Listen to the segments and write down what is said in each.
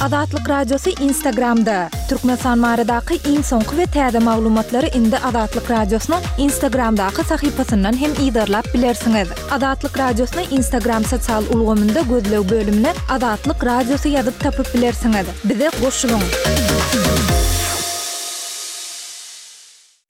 Azatlyk Radiosy Instagramda! Türkmenistan baradaky iň soňky we täze maglumatlary indi Azatlyk Radiosynyň Instagramdaky sahypasyndan hem yzarlap bilersiňiz. Azatlyk Radiosyny Instagram sosial ulgamynda gözleg bölümine Azatlyk Radiosy ýazyp tapyp bilersiňiz. Bize goşulyň!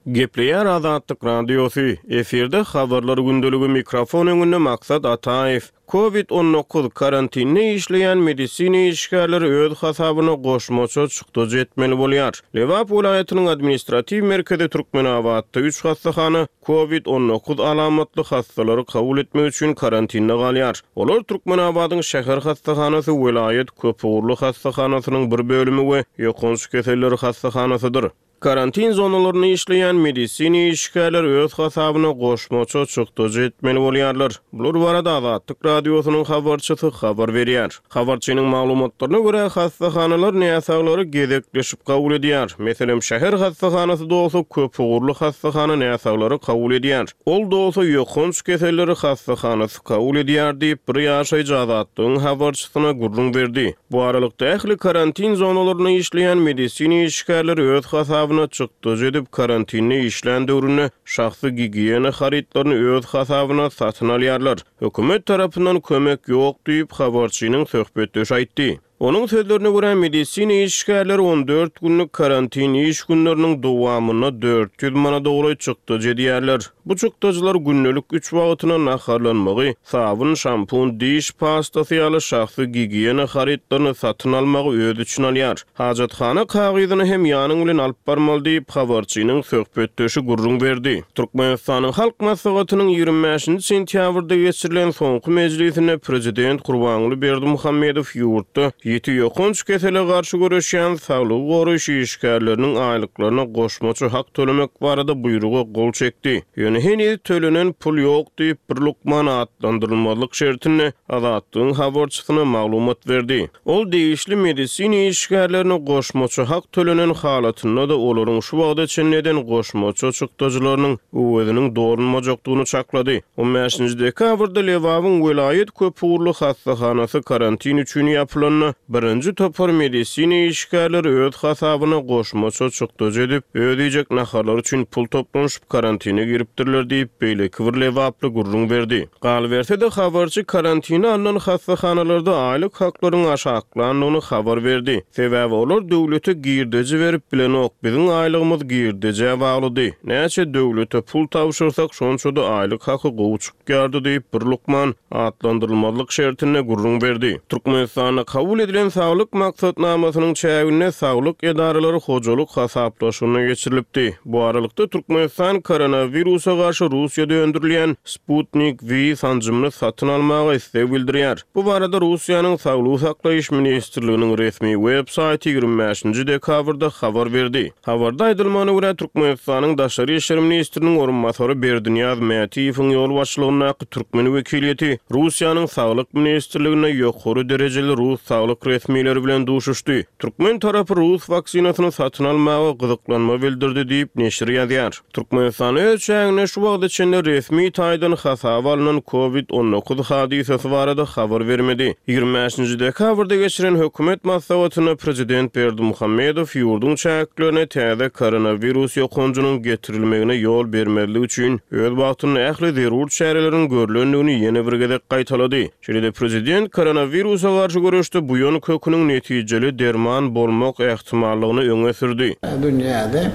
Gepleýär Azatlyk Radiosy, efirde Habarlar gündeligi mikrofon öňünde Maksat Ataýew. Covid 19, karantinde işleýän medisina işgärleri öz hasabyna goşmaça çykdajy etmeli bolýar. Lebap welaýatynyň administratiw merkezi Türkmenabatda üç hassahana Covid 19 alamatly hassalary kabul etmek üçin karantinde galýar. Olar Türkmenabadyň şäher hassahanasy, welaýat köpugurly hassahanasynyň bir bölümi we ýokanç keselleri hassahanasydyr. Karantin zonalarynda işleýän medisina işgärleri öz hasabyna goşmaça çykdajy etmeli bolýarlar. Bular barada Azatlyk Radiosynyň habarçysy habar berýär. Habarçynyň maglumatlaryna görä, hassahanalar näsaglary gezekleşip kabul edýär. Meselem, şäher hassahanasy dolsa, köpugurly hassahana näsaglary kabul edýär. Ol dolsa, ýokanç keselleri hassahanasy kabul edýär diýip, bir ýaşaýjy Azatlygyň habarçysyna gürrüň berdi. Bu aralykda, ähli karantin zonalarynda işleýän medisina işgärleri öz hasabyna çykdajy edip, karantinde işlän döwründe şahsy gigiýena harytlaryny öz hasabyna satyn alýarlar. Hökümet tarapyndan kömek ýok diýip, habarçynyň söhbetdeşi aýtdy. Onuň sözlerine görä, medisina işgärleri 14 günlük karantin iş günleriniň dowamynda 400 manada golaý çykdajy edýärler. Bu çykdajylar gündelik üç wagtyna naharlanmagy, sabyn, şampun, diş pastasy ýaly şahsy gigiýena harytlaryny satyn almagy öz içine alýar. Hajathana kagyzyny hem ýanyň bilen alyp barmaly diýip, habarçynyň söhbetdeşi gürrüň berdi. Türkmenistanyň Halk Maslahatynyň 25-nji sentýabrda geçirilen soňky mejlisinde prezident Gurbanguly Berdimuhamedow ýurtda ýiti ýokanç kesele garşy göreşýän saglygy goraýyş işgärleriniň aýlyklaryna goşmaça hak tölemek barada buýruga gol çekdi. Ýöne heniz tölenen pul ýok diýip, bir lukman atlandyrylmazlyk şertinde Azatlygyň habarçysyna maglumat berdi. Ol degişli medisina işgärlerine goşmaça hak tölenen halatynda-da olaryň şu wagta çenli eden goşmaça çykdajylarynyň öweziniň dolunmajakdygyny çaklady. On bäşinji dekabrda Lebabyň welaýat köpugurly hassahanasy karantin üçin ýapylanda, birinji topar medisina işgärleri öz hasabyna goşmaça çykdajy edip, öz iýjek naharlary üçin pul toplanyşyp karantine giripdirler diýip, beýleki bir lebaply gürrüň berdi. Galyberse-de, habarçy karantine alnan hassahanalarda aýlyk haklaryň aşaklandygyny habar berdi. Sebäbi olar döwlete girdeji berip bilenok, biziň aýlygymyz girdejä baglydy. Näçe döwlete pul tabşyrsak, şonça-da aýlyk haky gowy çykýardy diýip, bir lukman atlandyrylmazlyk şertinde gürrüň berdi. Türkmenistanda kabul edilen Saglyk maksatnamasynyň çäginde saglyk edaralary hojalyk hasaplaşygyna geçirilipdi. Bu aralykda, Türkmenistan koronawirusa garşy Russiýada öndürilýän Sputnik V sanjymyny satyn almaga isleg bildirýär. Bu barada Russiýanyň Saglygy saklaýyş ministrliginiň resmi web saýty 25-nji dekabrda habar berdi. Habarda aýdylmagyna görä, Türkmenistanyň Daşary işler ministriniň orunbasary Berdinyýaz Mätiýewiň ýolbaşçylygyndaky türkmen wekiliýeti Russiýanyň Saglyk ministrliginde ýokary derejeli rus saglyk resmileri bilen duşuşdy. Türkmen tarapy rus waksinasyny satyn almaga gyzyklanma bildirdi diýip, neşir ýazýar. Türkmenistan öz çäginde şu wagta çenli resmi taýdan hasaba alnan Covid 19 hadysasy barada habar bermedi. 25-nji dekabrda geçiren hökümet maslahatynda prezident Berdimuhamedow ýurduň çäklerine täze koronawirus ýokanjynyň getirilmegine ýol bermezlik üçin öz wagtynda ähli zerur çäreleriň görlendigini ýene bir gezek gaýtalady. Şeýle-de prezident koronawirusa garşy göreşde buýan köküniň netijeli derman bolmak ähtimallygyny öňe sürdi. Dünýäde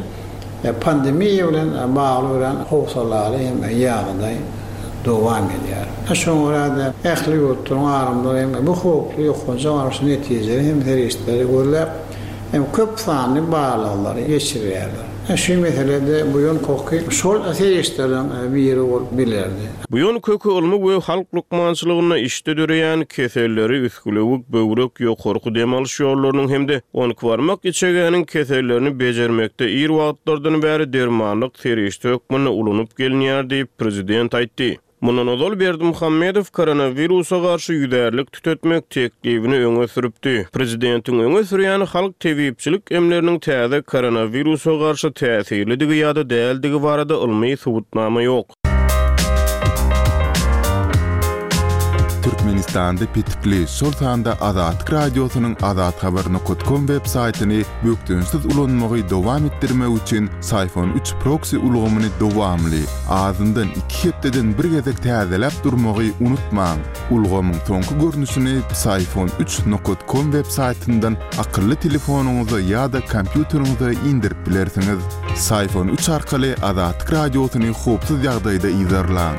pandemiýa bilen bagly örän howsalaly hem ýagdaý dowam edýär. Şoňa görä-de, ähli ýurtlaryň alymlary hem bu howply ýokanja garşy netijeli hem serişdeleri gözläp, hem köp sanly barlaglary geçirýärler. Şu meselede buýan köki şol serişdeleriň biri bolup bilerdi. Buýan köki ylmy we halk lukmançylygynda içde döreýän keselleri, üsgülewük, böwrek, ýokarky dem alyş ýollarynyň hem-de onkibarmak içegäniň kesellerini bejermekde ir wagtlardan bäri dermanlyk serişde hökmünde ulanyp gelinýär diýip, prezident aýtdy. Mundan ozal Berdimuhamedow koronawirusa garşy ýüzärlik tütetmek teklibini öňe sürüpdi. Prezidentiň öňe sürýän halk tebipçilik emleriniň täze koronawirusa garşy täsirlidigi ýa-da däldigi barada ylmy subutnama ýok. Türkmenistanda petikli, şol sanda Azatlyk Radiosynyň azathabar nokat kom web saýtyny bökdençsiz ulanmagy dowam etdirmek üçin Syfon üç proksi ulgamyny dowamly, azyndan iki hepdeden bir gezek täzeläp durmagy unutmaň. Ulgamyň soňky görnüşini Psiphon üç nokat kom web saýtyndan akylly telefonyňyza ýa-da kompýuteriňize indirip bilersiňiz. Psiphon üç arkaly Azatlyk Radiosyny howpsuz ýagdaýda yzarlaň.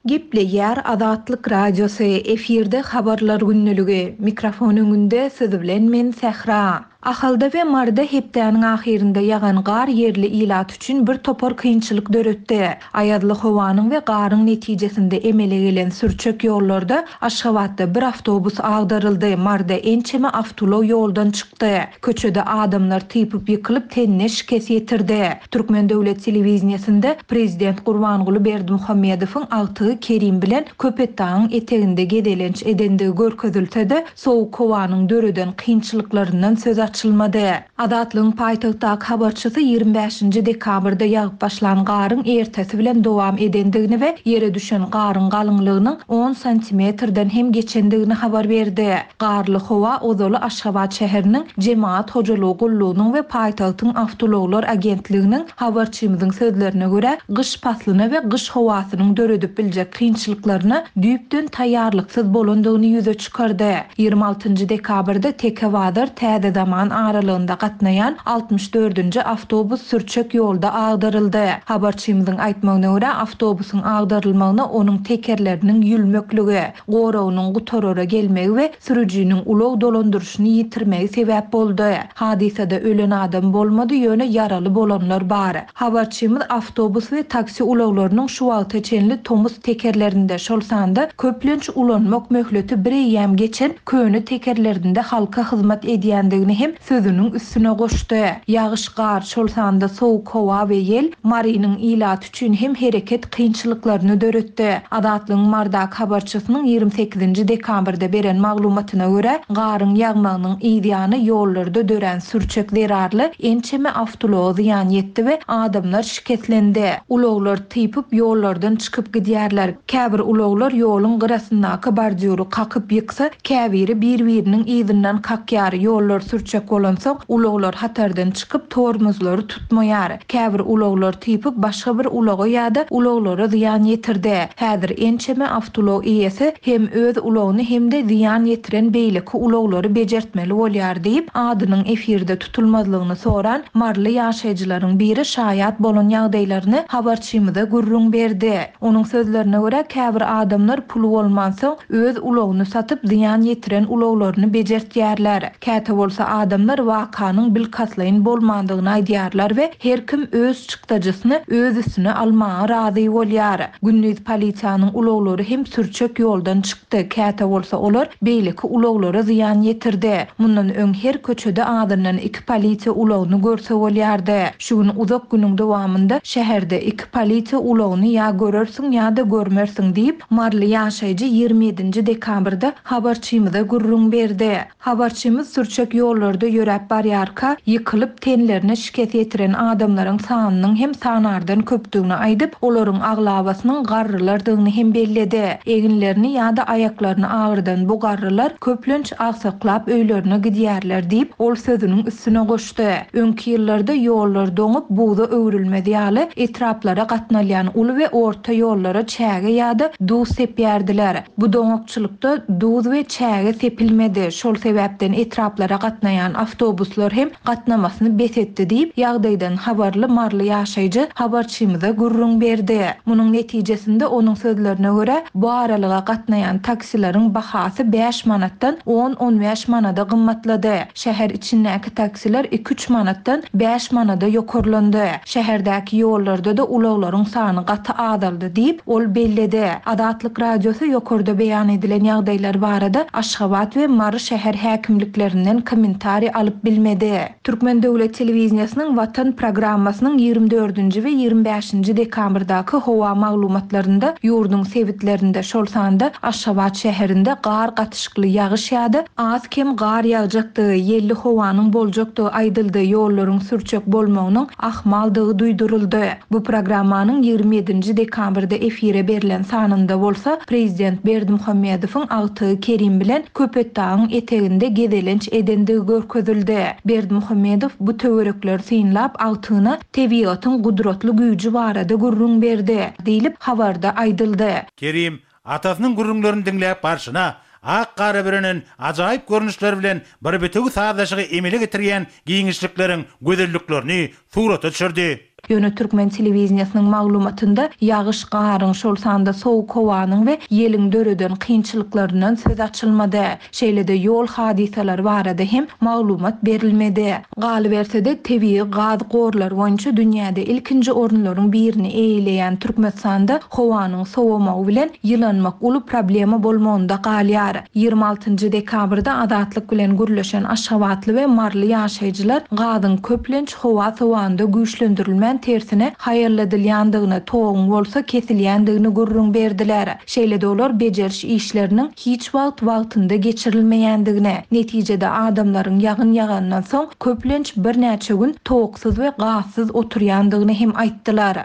Gepleýär Azatlyk Radiosy, efirde Habarlar gündeligi. Mikrofon öňünde siz bilen men Sähra. Ahalda we Maryda hepdäniň ahyrynda ýagan gar ýerli ilat üçin bir topar kynçylyk döretdi. Aýazly howanyň we garyň netijesinde emele gelen sürçek ýollarda Aşgabatda bir awtobus agdaryldy, Maryda ençeme awtoulag ýoldan çykdy. Köçede adamlar typyp ýykylyp, tenine şikes ýetirdi. Türkmen döwlet telewideniýesinde prezident Gurbanguly Berdimuhamedowyň agtygy Kerim bilen Köpetdagyň eteginde gezelenç edendigi görkezilse-de, Sowuk howanyň döreden kynçylyklaryndan söz açylmady. Azatlygyň paýtagtdaky habarçysy 25-nji dekabrda ýagyp başlan garyň ertesi bilen dowam edendigini we ýere düşen garyň galyňlygynyň on santimetrden hem geçendigini habar berdi. Garly howa ozaly Aşgabat şäheriniň Jemagat hojalygy gullugynyň we paýtagtyň awtoulaglar agentliginiň Habarçymyzyň sözlerine görä, gyş paslyna we gyş howasynyň döredip biljek kynçylyklaryna düýpden taýýarlyksyz bolandygyny ýüze çykardy. 26 nji dekabrda Teke bazar, Täze Zaman aralygynda gatnaýan 64 nji awtobus sürçek ýolda agdaryldy. Habarçymyzyň aýtmagyna görä, awtobusyň agdarylmagyna onuň tekerleriniň ýülmekligi, goragynyň gutarara gelmegi we sürüjiniň ulag dolandyryşyny ýitirmegi sebäp boldy. Hadysada ölen adam bolmady, ýöne ýaraly bolanlar bar. Habarçymyz awtobus we taksi ulaglarynyň şu wagta çenli tomus tekerlerinde, şol sanda köplenç ulanmak möhleti bireýýäm geçen köne tekerlerinde halka hyzmat edýändigini hem sözüniň üstüne goşdy. Ýagyş, gar, şol sanda sowuk howa we ýel Marynyň ilaty üçin hem hereket kynçylyklaryny döretdi. Azatlygyň Marydaky habarçysynyň 28-nji dekabrda beren maglumatyna görä, garyň ýagmagynyň yzýany ýollarda dörän sürçek zerarly ençeme awtoulaga zyýan ýetdi we adamlar şikeslendi. Ulaglar typyp ýollardan çykyp gidýärler. Käbir ulaglar ýoluň gyrasyndaky bordýury kakyp ýyksa, käbiri bir-biriniň yzyndan kakýar. Ýollar sürçek bolansoň, ulaglar hatardan çykyp, tormozlary tutmaýar. Käbir ulaglar typyp başga bir ulaga ýa-da ulaglara zyýan ýetirdi. Häzir ençeme awtoulag eýesi hem öz ulagyny hem-de zyýan ýetiren beýleki ulaglary bejertmeli bolýar diýip, adynyň efirde tutulmazlygyny soran maryly ýaşaýjylaryň biri şaýat bolan ýagdaýlaryny habarçymyza gürrüň berdi. Onuň sözlerine görä, käbir adamlar puly bolmansoň, öz ulagyny satyp, zyýan ýetiren ulaglaryny bejertýärler. Käte bolsa adamlar wakanyň bilkastlaýyn bolmandygyny aýdýarlar we her kim öz çykdajysyny öz üstüne almaga razy bolýar. Gündiz polisiýanyň ulaglary hem sürçek ýoldan çykdy, käte bolsa olar beýleki ulaglara zyýan ýetirdi. Mundan öň her köçede azyndan iki polisiýa ulagyny görse bolýardy. Şu gün uzak günüň dowamynda şäherde iki polisiýa ulagyny ýa görersiň ýa-da görmersiň diýip, maryly ýaşaýjy 27-nji dekabrda habarçymyza gürrüň berdi. Habarçymyz sürçek ýollarda ýöräp barýarka, ýykylyp, tenlerine şikes ýetiren adamlaryň sanynyň hem sanardan köpdügini aýdyp, olaryň aglabasynyň garrylardygyny hem belledi. Eginlerini ýa-da aýaklaryny agyrdan bu garrylar, köplenç, agsaklap öýlerine gidýärler diýip, ol sözüniň üstüne goşdy. Öňki ýyllarda ýollar doňup, buza öwrülmez ýaly, etraplara gatnalýan uly we orta ýollara çäge ýa-da duz sepýärdiler. Bu doňakçylykda duz we çäge sepilmedi, şol sebäpden etraplara gatnaýan awtobuslar hem gatnamasyny bes etdi diýip, ýagdaýdan habarly maryly ýaşaýjy habarçymyza gürrüň berdi. Munuň netijesinde, onuň sözlerine görä, bu aralyga gatnaýan taksileriň bahasy bäş manatdan on-on bäş manada gymmatlady. Şäher içindäki taksiler iki-üç manatdan bäş manada ýokarlandy. Şäherdäki ýollarda-da ulaglaryň sany gaty azaldy diýip, ol belledi. Azatlyk Radiosy ýokarda beýan edilen ýagdaýlar barada Aşgabat we Mary şäher häkimliklerinden kommentariý. kommentariý alyp bilmedi. Türkmen döwlet telewideniýesiniň Watan programmasynyň 24-nji we 25-nji dekabrdaky howa maglumatlarynda ýurduň sebitlerinde, şol sanda Aşgabat şäherinde gar gatyşykly ýagyş ýa-da az-kem gar ýagjakdygy, ýelli howanyň boljakdygy aýdyldy, ýollaryň sürçek bolmagynyň ahmaldygy duýduryldy. Bu programmanyň 27-nji dekabrda efire berlen sanynda bolsa, prezident Berdimuhamedowyň agtygy Kerim bilen Köpetdagyň eteginde gezelenç edendigi görkezildi. Berdimuhamedow bu töwerekleri synlap, agtygyna tebigatyň gudratly güýji barada gürrüň berdi, diýlip, habarda aýdyldy. Kerim atasynyň gürrüňlerini diňläp barşyna, ak gara bürenen ajaýyp görnüşler bilen bir bitewi sazlaşygy emele getirýän giňişlikleriň gözelliklerini surata düşürdi. Ýöne türkmen telewideniýesiniň maglumatynda ýagyş, garyň, şol sanda sowuk howanyň we ýeliň döreden kynçylyklaryndan söz açylmady. Şeýle-de ýol hadysalary barada hem maglumat berilmedi. Galyberse-de, tebigy gaz gorlary boýunça dünýäde ilkinji orunlaryň birini eýeleýän Türkmenistanda howanyň sowamagy bilen ýylanmak uly problema bolmagynda galýar. 26 nji dekabrda Azatlyk bilen gürleşen aşgabatly we maryly ýaşaýjylar gazyň köplenç howa sowanda güýçlendirilmän tersine haýalladylýandygyny, toguň bolsa kesilýändigini gürrüň berdiler. Şeýle-de olar bejeriş işleriniň hiç wagt wagtynda geçirilmeýändigini, netijede adamlaryň ýagyn ýagandan soň köplenç birnäçe gün toksuz we gazsyz oturýandygyny hem aýtdylar.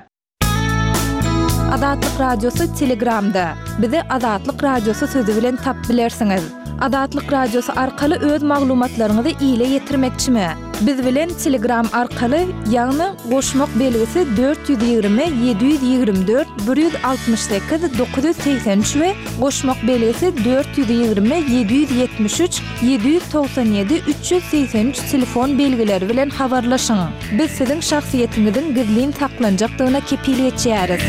Azatlyk Radiosy Telegramda, Bizi Azatlyk Radiosy sözi bilen tapyp bilersiňiz. Azatlyk Radiosy arkaly öz maglumatlaryňyzy ile ýetirmekçimi? Biz bilen Telegram arkaly, ýagny goşmak belgisi 420 724 168 983 we goşmak belgisi 420 773 797 383 telefon belgileri bilen habarlaşyň. Biz siziň şahsyýetiňiziň gizlin saklanjakdygyna kepil geçýäris.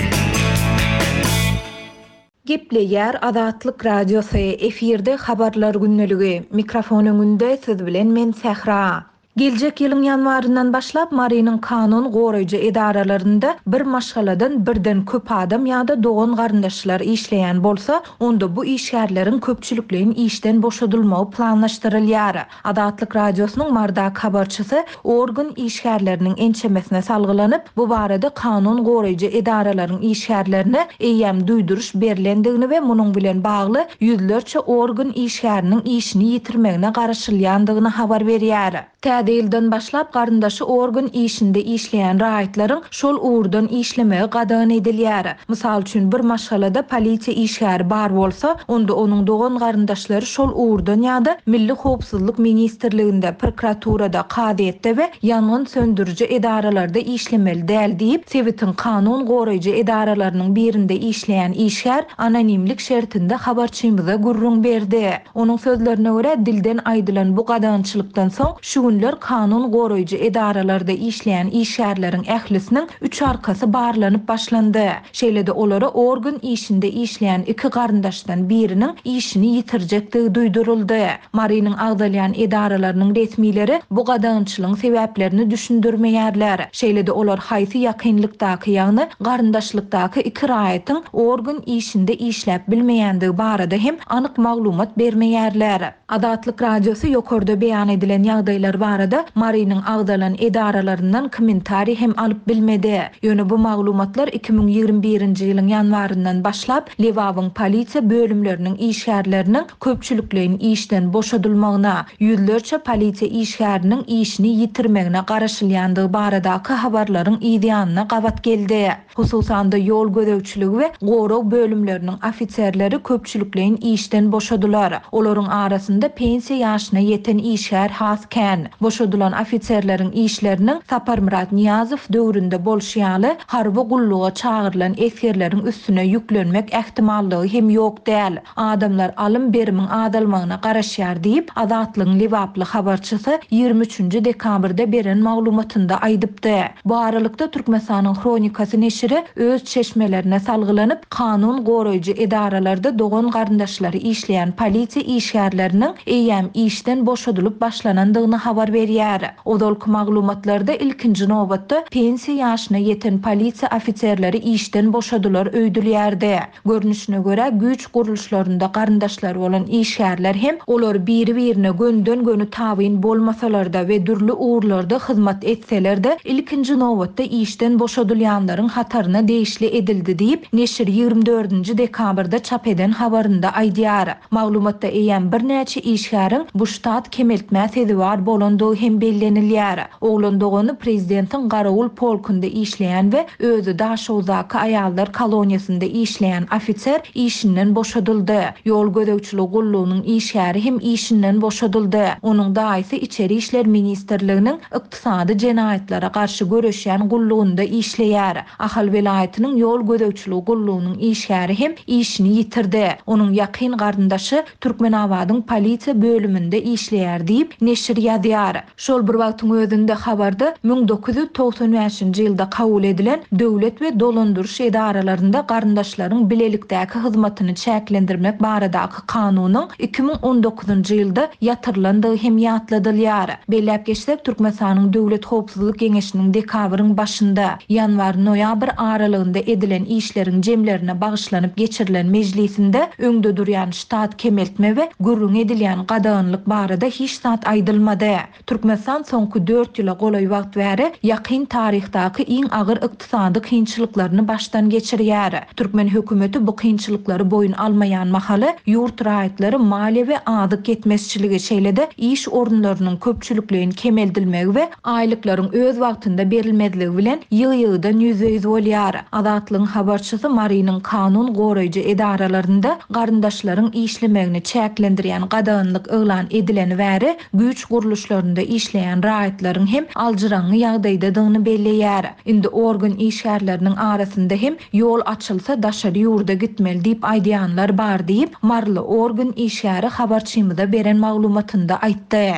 Gepleýär Azatlyk Radiosy, efirde Habarlar gündeligi, mikrofon öňünde siz bilen men Sähra. Geljek ýylyň ýanwaryndan başlap Marynyň kanun goraýjy edaralarynda bir maşgaladan birden köp adam ýa-da dogan-garyndaşlar işleýän bolsa, onda bu işgärleriň köpçülikleýin işden boşadylmagy planlaşdyrylýar. Azatlyk Radiosynyň Marydaky habarçysy organ işgärleriniň ençemesine salgylanyp, bu barada kanun goraýjy edaralaryň işgärlerine eýýäm duýduryş berlendigini we munuň bilen bagly ýüzlerçe organ işgäriniň işini ýitirmegine garaşylýandygyny habar berýär. Täze ýyldan başlap garyndaşy organ işinde işleýän raýatlaryň şol ugurdan işlemegi gadagan edilýär. Mysal üçin, bir maşgalada polisiýa işgäri bar bolsa, onda onuň dogan-garyndaşlary şol ugurdan ýa-da Milli howpsuzlyk ministrliginde, prokuraturada, kazyýetde we ýangyn söndüriji edaralarda işlemeli däl diýip, sebitiň kanun goraýjy edaralarynyň birinde işleýän işgär anonimlik şertinde habarçymyza gürrüň berdi. Onuň sözlerine görä, dilden aýdylan bu gadagançylykdan soň, şu günler kanun goraýjy edaralarda işleýän işgärleriň ählisiniň üç arkasy barlanyp başlandy. Şeýle-de olara organ işinde işleýän iki garyndaşdan biriniň işini ýitirjekdigi duýduryldy. Marynyň agzalýan edaralarynyň resmileri bu gadagançylygyň sebäplerini düşündirmeýärler. Şeýle-de olar haýsy ýakynlykdaky, ýagny garyndaşlykdaky iki raýatyň organ işinde işläp bilmeýändigi barada hem anyk maglumat bermeýärler. Azatlyk Radiosy ýokarda beýan edilen ýagdaýlar barada Marynyň agzalan edaralaryndan kommentariý hem alyp bilmedi. Ýöne bu maglumatlar 2021-nji ýylyň ýanwaryndan başlap Lebabyň polisiýa bölümleriniň işgärleriniň köpçülikleýin işden boşadylmagyna, ýüzlerçe polisiýa işgäriniň işini ýitirmegine garaşylýandygy baradaky habarlaryň yzýanyna gabat geldi. Hususan-da, ýol gözegçiligi we gorag bölümleriniň ofiserleri köpçülikleýin işden boşadylar. Olaryň arasynda pensiýa ýaşyna ýeten işgär has kän. Boşadylan ofiserleriň işleriniň Saparmyrat Nyýazow döwründe bolşy ýaly, harby gulluga çagyrylan esgerleriň üstüne ýüklenmek ähtimallygy hem ýok däl. Adamlar alym-berimiň azalmagyna garaşýar diýip, Azatlygyň lebaply habarçysy 23 nji dekabrda beren maglumatynda aýdypdy. Bu aralykda, Türkmenistanyň Hronikasy neşiri öz çeşmelerine salgylanyp, kanun goraýjy edaralarda dogan-garyndaşlary işleýän polisiýa işgärleriniň eýýäm işden boşadylyp başlanandygyny habar berdi. berýär. Ozalky maglumatlarda ilkinji nobatda pensiýa ýaşyna ýeten polisiýa ofiserleri işden boşadylar öýdülýärdi. Görnüşine görä, güýç gurluşlarynda garyndaşlary bolan işgärler hem, olar biri-birine gönüden-göni tabyn bolmasalar-da we dürli ugurlarda hyzmat etseler-de, ilkinji nobatda işden boşadylýanlaryň hataryna degişli edildi diýip, neşir 24-nji dekabrda çap eden habarynda aýdýar. Maglumatda eýýäm birnäçe işgäriň bu ştat kemeltmä sezewar bolandygy hem bellenilýär. Oglan dogany prezidentiň garawul polkunda işleýän we özi Daşoguzdaky aýallar koloniýasynda işleýän ofiser işinden boşadyldy. Ýol gözegçiligi gullugynyň işgäri hem işinden boşadyldy. Onuň daýysy Içeri işler ministrliginiň ykdysady jenaýatlara garşy göreşýän gullugynda işleýär. Ahal welaýatynyň ýol gözegçiligi gullugynyň işgäri hem işini ýitirdi. Onuň ýakyn garyndaşy Türkmenabadyň polisiýa bölüminde işleýär diýip, neşir ýazýar. Şol bir wagtyň özünde habarda 1995-nji ýylda kabul edilen Döwlet we dolandyryş edaralarynda garyndaşlaryň bilelikdäki hyzmatyny çäklendirmek baradaky kanunyň 2019-njy ýylda ýatyrylandygy hem ýatladylýar. Belläp geçsek, Türkmenistanyň Döwlet howpsuzlyk geňeşiniň dekabryň başynda, ýanwar-noýabr aralygynda edilen işleriň jemlerine bagyşlanyp geçirilen mejlisinde öňde durýan ştat kemeltme we gürrüňi edilýän gadaganlyk barada hiç zat aýdylmady. Türkmenistan soňky dört ýyla golaý wagt bäri ýakyn taryhdaky iň agyr ykdysady kynçylyklaryny başdan geçirýär. Türkmen hökümeti bu kynçylyklary boýun almaýan mahaly, ýurt raýatlary maliýe we azyk ýetmezçiligi, şeýle-de iş orunlarynyň köpçülikleýin kemeldilmegi we aýlyklaryň öz wagtynda berilmezligi bilen ýygy-ýygydan ýüzbe-ýüz bolýar. Azatlygyň habarçysy Marynyň kanun goraýjy edaralarynda garyndaşlaryň işlemegini çäklendirýän gadaganlyk yglan edileni bäri güýç gurluşlarynda işleýän raýatlaryň hem aljyraňňy ýagdaýdadygyny belleýär. Indi organ işgärleriniň arasynda hem ýol açylsa daşary ýurda gitmeli diýip aýdýanlar bar diýip, maryly organ işgäri habarçymyza beren maglumatynda aýtdy.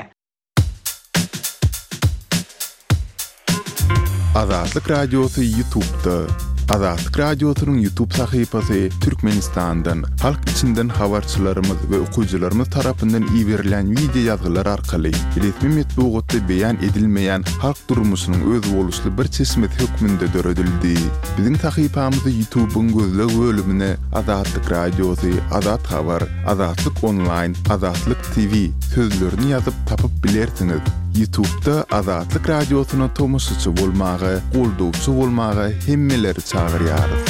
Azatlyk Radiosy Ýutubda. Azatlyk Radiosynyň Ýutub sahypasy Türkmenistandan, halk içinden habarçylarymyz we okyjylarymyz tarapyndan iberilen wideo ýazgylar arkaly resmi metbugatda beýan edilmeýän halk durmuşynyň özboluşly bir çeşmesi hökmünde döredildi. Biziň sahypamyzy Ýutubyň gözleg bölümine Azatlyk Radiosy, Azat Habar, Azatlyk Onlaýn, Azatlyk TV sözlerini ýazyp tapyp bilersiňiz. Ýutubda Azatlyk Radiosyna tomaşaçy bolmaga, goldawçy bolmaga hemmeleri çagyrýarys.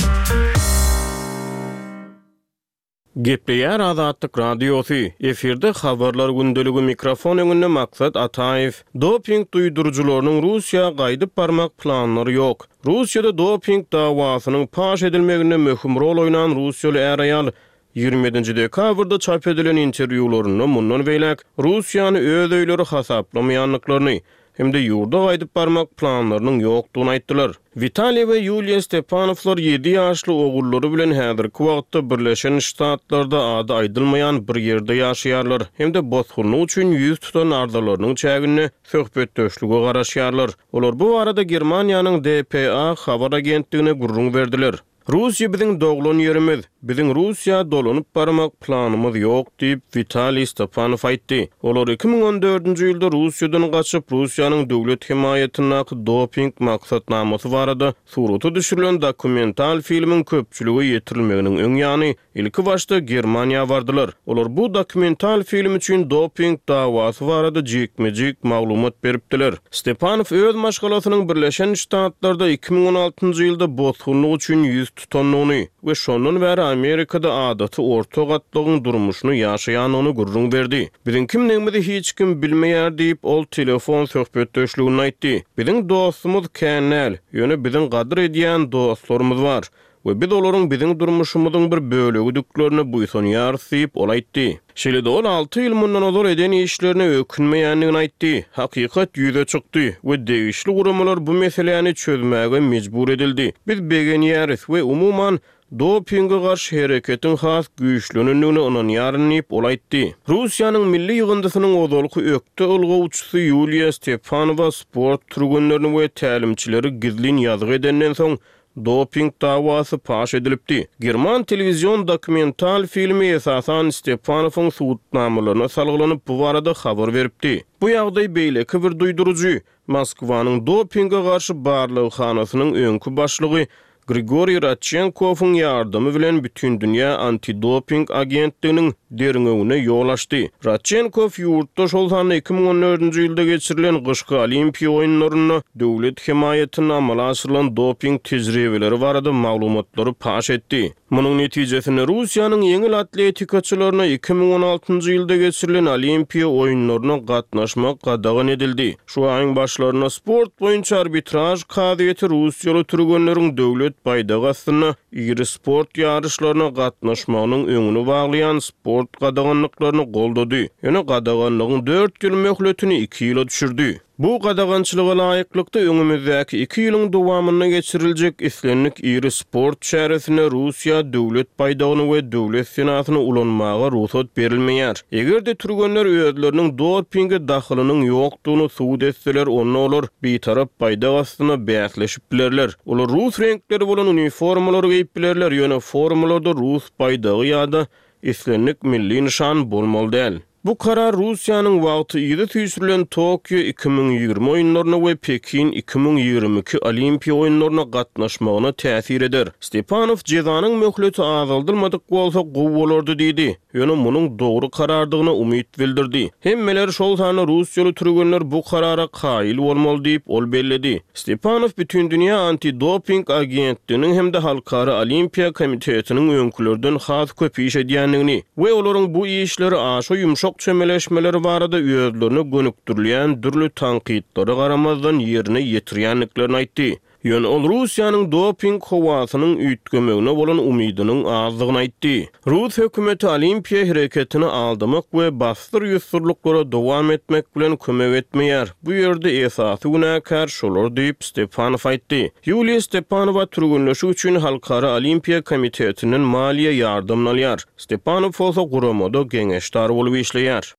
Gepleýär Azatlyk Radiosy, efirde Habarlar gündeligi mikrofon öňünde Maksat Ataýew. Doping duýduryjylarynyň Russiýa gaýdyp barmak planlary ýok. Russiýada doping dawasynyň paş edilmeginde möhüm rol oýnan russiýaly är-aýal 27-nji dekabrda çap edilen interwýularynda mundan beýläk Russiýany öz öýleri hasaplamaýandyklaryny hem-de ýurda gaýdyp barmak planlarynyň ýokdugyny aýtdylar. Witaliý we Ýuliýa Stepanowlar ýedi ýaşly ogullary bilen häzirki wagtda Birleşen Ştatlarda ady aýdylmaýan bir ýerde ýaşaýarlar hem-de bosgunlyk üçin ýüz tutan arzalarynyň çäginde söhbetdeşlige garaşýarlar. Olar bu barada Germaniýanyň dpa habar agentligine gürrüň berdiler. Russiýa biziň doglan ýerimiz. Biziň Russiýa dolanyp barmak planymyz ýok diýip, Witaliý Stepanow aýtdy. Olar 2014-nji ýylda Russiýadan gaçyp, Russiýanyň döwlet hemaýatyndaky doping maksatnamasy barada surata düşürilen dokumental filmiň köpçülige ýetirilmeginiň öň ýany Ilki başda Germaniýa bardylar. Olar bu dokumental film üçin doping dawasy barada jikme-jik maglumat beripdiler. Stepanow öz maşgalasynyň Birleşen Ştatlarda 2016-njy ýylda bosgunlyk üçin ýüz tutandygyny we şondan bäri Amerikada adaty orta gatlagyň durmuşyny ýaşaýandygyny gürrüň berdi. Biziň kimdigimizi hiç kim bilmeýär diýip, ol telefon söhbetdeşliginde aýtdy. Biziň dostumyz kän däl, ýöne biziň gadyr edýän dostlarymyz bar. We biz olaryň biziň durmuşymyzyň bir bölegidiklerine buýsanýarys diýip, ol aýtdy. Şeýle-de ol alty ýyl mundan ozal eden işlerine ökünmeýändigini aýtdy. Hakykat ýüze çykdy we degişli guramalar bu meseläni çözmäge mejbur edildi. Biz begenýäris we umuman, dopinge garşy hereketiň has güýçlenendigine ynanýaryn diýip, ol aýtdy. Russiýanyň milli ýygyndysynyň ozalky ökde ylgawçysy Ýuliýa Stepanowa sport türgenlerini we tälimçileri gizlin ýazgy edenden soň, Doping dawasy paş edilipdi. German telewizion dokumental filmi esasan Stepanowyň subutnamalaryna salgylanyp bu barada habar beripdi. Bu ýagdaý beýleki bir duýduryjy, Moskwanyň dopinge garşy barlaghanasynyň öňki başlygy Grigoriý Radçenkowyň ýardamy bilen Bütindünýä antidoping agentliginiň derňewine ýol açdy. Radçenkow ýurtda, şol sanda 2014-nji ýylda geçirilen gyşky Olimpiýa oýunlarynda döwlet hemaýatynda amala aşyrylan doping tejribeleri barada maglumatlary paş etdi. Munuň netijesinde Russiýanyň ýeňil atletikaçylaryna 2016-njy ýylda geçirilen Olimpiýa oýunlaryna gatnaşmak gadagan edildi. Şu aýyň başlarynda sport boýunça arbitraž kazyýeti russiýaly türgenleriň döwlet baýdagy astynda iri sport ýaryşlaryna gatnaşmagynyň öňüni baglaýan sport gadaganlyklaryny goldady, ýöne gadaganlygyň dört ýyl möhletini iki ýyla düşürdi. Bu gadagançylyga laýyklykda, öňümizdäki iki ýylyň dowamynda geçiriljek islendik iri sport çäresinde Russiýa döwlet baýdagyny we döwlet senasyny ulanmaga rugsat berilmeýär. Eger-de türgenler özleriniň dopinge dahylynyň ýokdugyny subut etseler, onda olar bitarap baýdak astynda bäsleşip bilerler. Olar rus reňkleri bolan uniformalary geýip bilerler, ýöne formalarda rus baýdagy ýa-da islendik milli nyşan bolmaly däl. Bu karar Russiýanyň wagty yza süýşürilen Tokio 2020 oýunlaryna we Pekin 2022 Olimpiýa oýunlaryna gatnaşmagyna täsir eder. Stepanow jezanyň möhleti azaldylmadyk bolsa gowy bolardy diýdi, ýöne munuň dogry karardygyna umyt bildirdi. Hemmeler, şol sanda russiýaly türgenler bu karara kaýyl bolmaly diýip, ol belledi. Stepanow Bütindünýä antidoping agentliginiň hem-de Halkara Olimpiýa komitetiniň öňkülerden has köp iş edýändigini we olaryň bu işleri aşa ýumşak çemeleşmeleri barada özlerine gönükdirilýän dürli tankytlara garamazdan ýerine ýetirýändiklerini aýtdy. Ýöne ol Russiýanyň doping howasynyň üýtgemegine bolan umydynyň azdygyny aýtdy. Rus hökümeti Olimpiýa hereketini aldamak we bassyr-ýussurlyklara dowam etmek bilen kömek etmeýär. Bu ýerde esasy günäkär şolar diýip, Stepanow aýtdy. Ýuliýa Stepanowa türgenleşik üçin Halkara Olimpiýa komitetinden maliýe ýardamyny alýar. Stepanow bolsa guramada geňeşdar bolup işleýär.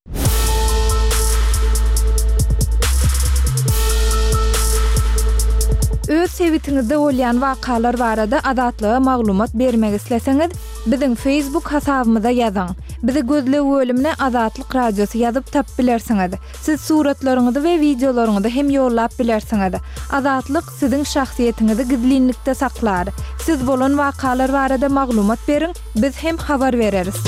Öz sebitiňizde bolýan wakalar barada Azatlyga maglumat bermek isleseňiz, biziň Facebook hasabymyza ýazyň. Bizi gözleg bölümine Azatlyk Radiosy ýazyp tapyp bilersiňiz. Siz suratlaryňyzy we wideolaryňyzy hem ýollap bilersiňiz. Azatlyk siziň şahsyýetiňizi gizlinlikde saklar. Siz bolan wakalar barada maglumat beriň, biz hem habar bereris.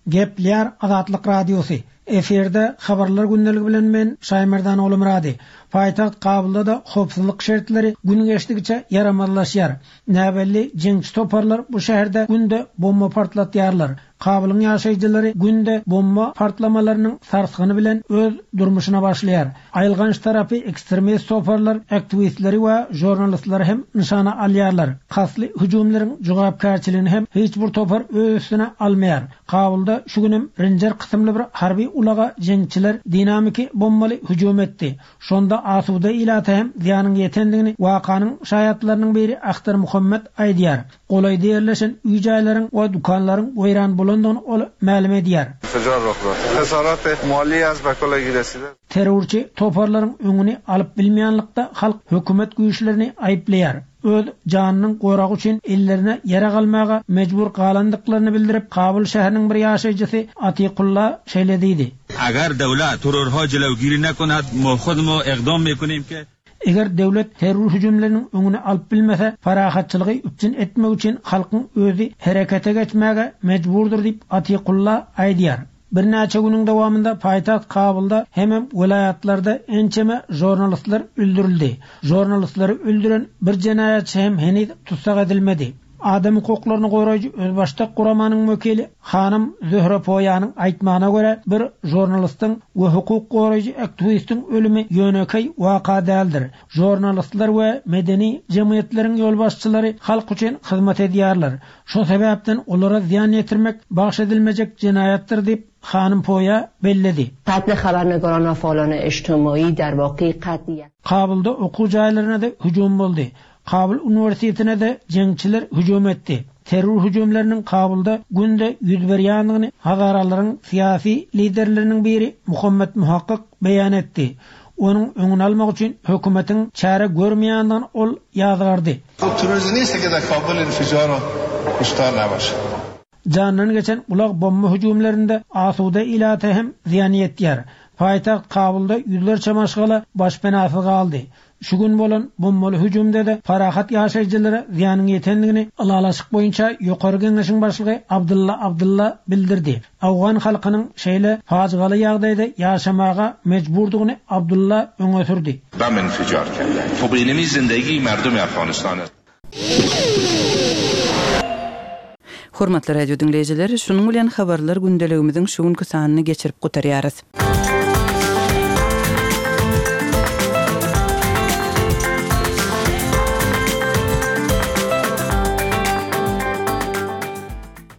Gepleýär Azatlyk Radiosy. Efirde Habarlar gündeligi bilen men, Şaýmerdan Ogulmyrady. Paýtagt Kabulda-da howpsuzlyk şertleri gün geçdigiçe ýaramazlaşýar. Näbelli jeňçi toparlar bu şäherde günde bomba partlatýarlar. Kabulyň ýaşaýjylary günde bomba partlamalarynyň sarsgyny bilen öz durmuşyna başlaýar. Aýylganç tarapy ekstremist toparlar aktiwistleri we žurnalistleri hem nyşana alýarlar. Kastly hüjümleriň jogapkärçiligini hem hiç bir topar öz üstüne almaýar. Kabulda şu günem Renjer kysymly bir harby ulaga jeňçiler dinamiki bombaly hüjüm etdi. Şonda asuda ilata hem zyýanyň ýetendigini wakanyň şaýatlarynyň biri Ahtar Muhammet aýdýar. Golaýda ýerleşen öý-jaýlaryň we dükanlaryň weýran bolandygyny ol mälim edýär. Terrorçy toparlaryň öňüni alyp bilmeýänlikde halk hökümet güýçlerini aýyplaýar. Öz janynyň goragy üçin ellerine ýarag almaga mejbur galandyklaryny bildirip, Kabul şäheriniň bir ýaşaýjysy Atikulla şeýle diýdi. Agar döwlet terrorha jelewgiri nekonad, mo hudmo egdam mekunim ke. Eger döwlet terror hüjümleriniň öňüni alyp bilmese, parahatçylygy üpjün etmek üçin halkyň özi herekete geçmäge mejburdyr diýip, Atikulla aýdýar. Birnäçe günüň dowamynda paýtagt Kabulda hemem welaýatlarda ençeme žurnalistler öldürildi. Žurnalistleri öldüren bir jenaýatçy hem heniz tussag edilmedi. Adam hukuklaryny goraýjy özbaşdak guramanyň wekili hanym Zöhre Poýanyň aýtmagyna görä, bir žurnalistiň we hukuk goraýjy aktiwistiň ölümi ýönekeý waka däldir. Žurnalistler we medeni jemgyýetleriň ýolbaşçylary halk üçin hyzmat edýärler. Şo sebäpden olara zyýan ýetirmek bagyş edilmejek jenaýatdyr diýip, hanym Poýa belledi. Qatl xabarnigoran va faalon ejtemaî dar vaqe qatl yak. Kabulda okuw jaýlaryna-da hüjüm boldy. Kabul uniwersitetine-de jeňçiler hüjüm etdi. Terror hüjümleriniň Kabulda günde ýüz berýändigini hazaralaryň syýasy liderleriniň biri Muhammet Muhakkyk beýan etdi. Onuň öňüni almak üçin hökümetiň çäre görmeýändigini ol ýazgardy. Jandan geçen ulag bomba hüjümlerinde asuda ilata hem zyýan ýetýär. Paýtagt Kabulda ýüzlerçe maşgala başpenasyz galdy. Şu gün bolan bombaly hüjümde-de parahat ýaşaýjylara zyýanyň ýetendigini Ylalaşyk boýunça Ýokary Geňeşiň başlygy Abdylla Abdylla bildirdi. Owgan halkynyň şeýle pajygaly ýagdaýda ýaşamaga mejburdygyny Abdylla öňe sürdi. Bam infijar kerdend. Hob inemi zindegi merdumi Afganistan est. Hormatly radio diňleýjiler, şunuň bilen Habarlar gündeligimiziň şu günki sanyny geçirip gutarýarys.